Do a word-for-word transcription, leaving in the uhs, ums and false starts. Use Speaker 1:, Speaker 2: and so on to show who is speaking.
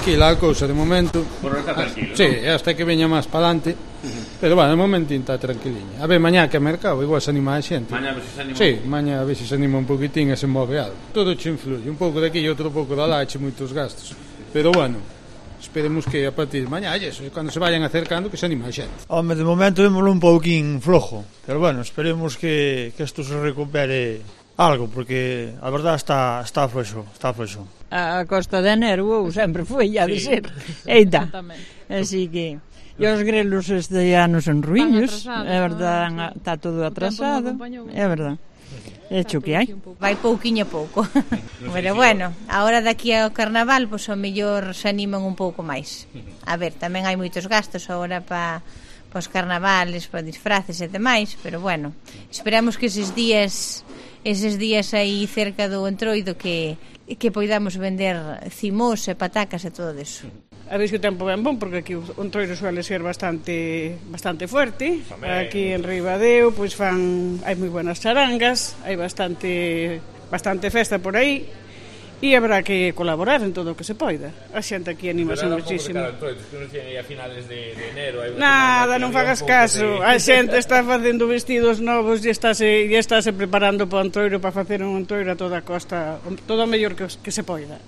Speaker 1: tranquila a cousa de momento.
Speaker 2: Por está tranquilo.
Speaker 1: Sí, hasta que veña máis para adelante. Pero bueno, de momento está tranquiliña. A ver, mañá que é mercado, igual se anima a xente.
Speaker 2: Mañá a ver se se anima.
Speaker 1: Sí, mañá a ver se se anima un poquitín e se move algo. Todo che influye, un pouco de aquí e outro pouco de alá, che moitos gastos. Pero bueno, esperemos que a partir de mañá, eso, cando se vayan acercando, que se anima a xente.
Speaker 3: Home, de momento vémoslo un pouquín flojo, pero bueno, esperemos que, que isto se recupere algo, porque a verdad está, está fluxo, está fluxo.
Speaker 4: A costa de enero ou sempre foi, ha de ser. Eita, así que... E os grelos este ano son ruiños, é verdad, está todo atrasado, é verdad. É hecho que hai.
Speaker 5: Vai pouquiño a pouco. Pero bueno, agora daqui ao carnaval, pois ao mellor se animan un pouco máis. A ver, tamén hai moitos gastos agora para pa os carnavales, para disfraces e demais, pero bueno, esperamos que eses días eses días aí cerca do Entroido que que poidamos vender cimós e patacas e todo eso.
Speaker 6: A ver que o tempo ben bon, porque aquí o Entroido suele ser bastante bastante fuerte. Aquí en Ribadeo pois fan hai moi buenas charangas, hai bastante bastante festa por aí e habrá que colaborar en todo o que se poida. A xente aquí animase muchísimo. Nada, non fagas caso. A xente está facendo vestidos novos e estáse e estáse preparando para o Entroido, para facer un Entroido a toda costa, todo o mellor que, que se poida.